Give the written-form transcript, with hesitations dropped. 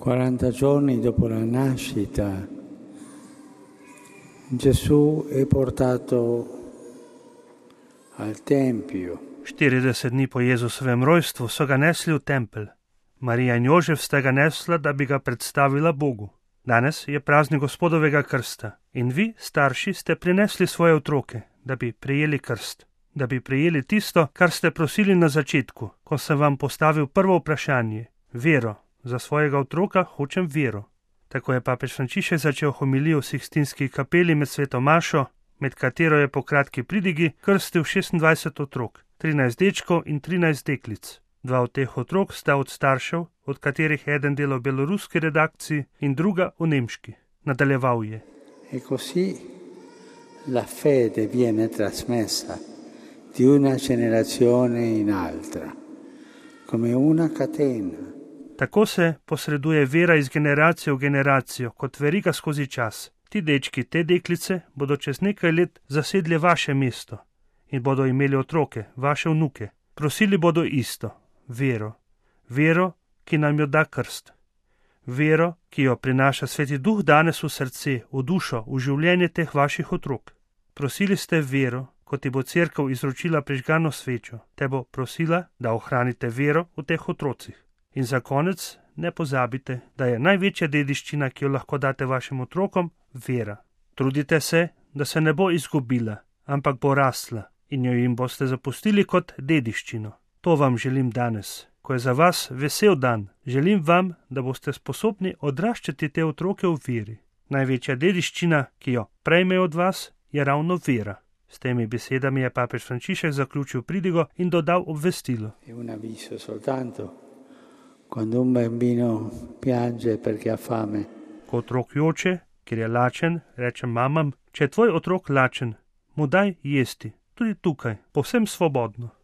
40 giorni dopo la nascita, Gesù è portato al Tempio. 40 dni po Jezusovem rojstvu so ga nesli v tempelj. Marija in Jožef sta ga nesla, da bi ga predstavila Bogu. Danes je praznik Gospodovega krsta in vi, starši, ste prinesli svoje otroke, da bi prejeli krst, da bi prejeli tisto, kar ste prosili na začetku, ko sem vam postavil prvo vprašanje, vero. Za svojega otroka hočem vero. Tako je papež Frančišek začel homilijo v Sikstinski kapeli med sveto mašo, med katero je po kratki pridigi krstil 26 otrok, 13 dečkov in 13 deklic. 2 od teh otrok sta od staršev, od katerih eden dela v beloruski redakciji in druga v nemški. Nadaljeval je. E così la fede viene trasmessa di una generazione in altra, come una catena. Tako se posreduje vera iz generacije v generacijo, kot veriga skozi čas. Ti dečki, te deklice bodo čez nekaj let zasedli vaše mesto in bodo imeli otroke, vaše vnuke. Prosili bodo isto, vero. Vero, ki nam jo da krst. Vero, ki jo prinaša Sveti Duh danes v srce, v dušo, v življenje teh vaših otrok. Prosili ste vero, ko ti bo cerkev izročila prižgano svečo. Te bo prosila, da ohranite vero v teh otrocih. In za konec ne pozabite, da je največja dediščina, ki jo lahko date vašim otrokom, vera. Trudite se, da se ne bo izgubila, ampak bo rasla in jo jim boste zapustili kot dediščino. To vam želim danes, ko je za vas vesel dan. Želim vam, da boste sposobni odraščati te otroke v veri. Največja dediščina, ki jo prejmejo od vas, je ravno vera. S temi besedami je papež Frančišek zaključil pridigo in dodal obvestilo. Quando un bambino piange perché ha fame. Ko otrok joče, ker je lačen, rečem mamam, če je tvoj otrok lačen, mu daj jesti, tudi tukaj, povsem svobodno.